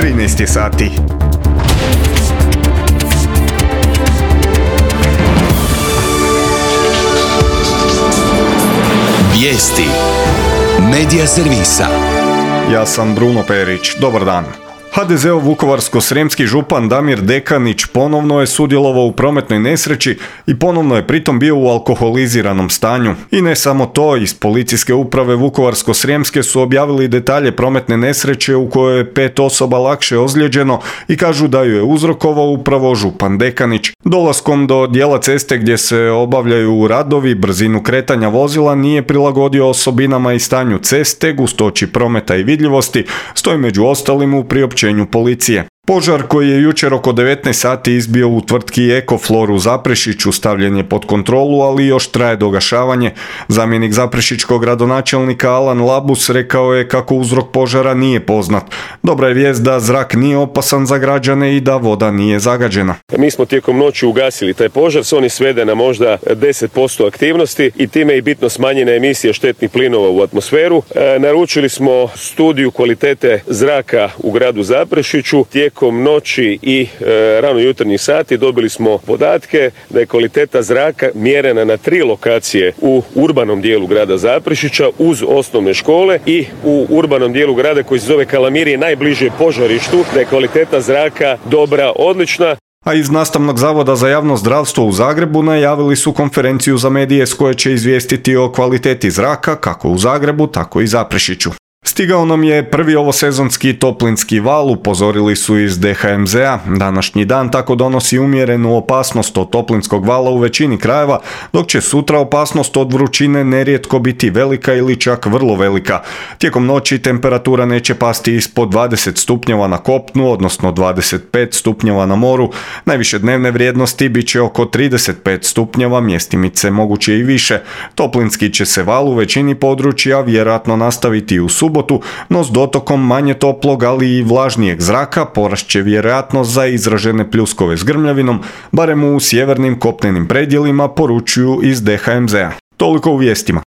13 je sati. Vijesti Medija servisa. Ja sam Bruno Perić. Dobar dan. HDZ-ov vukovarsko-srijemski župan Damir Dekanić ponovno je sudjelovao u prometnoj nesreći i ponovno je pritom bio u alkoholiziranom stanju. I ne samo to, iz policijske uprave Vukovarsko-srijemske su objavili detalje prometne nesreće u kojoj je 5 osoba lakše ozlijeđeno i kažu da ju je uzrokovao upravo župan Dekanić. Dolaskom do dijela ceste gdje se obavljaju radovi, brzinu kretanja vozila nije prilagodio osobinama i stanju ceste, gustoći prometa i vidljivosti, stoji među ostalim u priopćenju policije. Požar koji je jučer oko 19 sati izbio u tvrtki Ekoflor u Zaprešiću stavljen je pod kontrolu, ali još traje dogašavanje. Zamjenik zaprešićkog gradonačelnika Alan Labus rekao je kako uzrok požara nije poznat. Dobra je vijest da zrak nije opasan za građane i da voda nije zagađena. Mi smo tijekom noći ugasili taj požar, on je sveden na možda 10% aktivnosti i time i bitno smanjena emisija štetnih plinova u atmosferu. Naručili smo studiju kvalitete zraka u gradu Zaprešiću. Tijekom noći i rano jutarnjih sati dobili smo podatke da je kvaliteta zraka mjerena na 3 lokacije u urbanom dijelu grada Zaprešića uz osnovne škole i u urbanom dijelu grada koji se zove Kalamirije, najbliže požarištu, da je kvaliteta zraka dobra, odlična. A iz Nastavnog zavoda za javno zdravstvo u Zagrebu najavili su konferenciju za medije s koje će izvijestiti o kvaliteti zraka kako u Zagrebu, tako i Zaprešiću. Stigao nam je prvi ovosezonski toplinski val, upozorili su iz DHMZ-a. Današnji dan tako donosi umjerenu opasnost od toplinskog vala u većini krajeva, dok će sutra opasnost od vrućine nerijetko biti velika ili čak vrlo velika. Tijekom noći temperatura neće pasti ispod 20 stupnjeva na kopnu, odnosno 25 stupnjeva na moru. Najviše dnevne vrijednosti bit će oko 35 stupnjeva, mjestimice moguće i više. Toplinski će se val u većini područja vjerojatno nastaviti u subotu, no s dotokom manje toplog, ali i vlažnijeg zraka porast će vjerojatnost za izražene pljuskove s grmljavinom, barem u sjevernim kopnenim predjelima, poručuju iz DHMZ-a. Toliko u vijestima.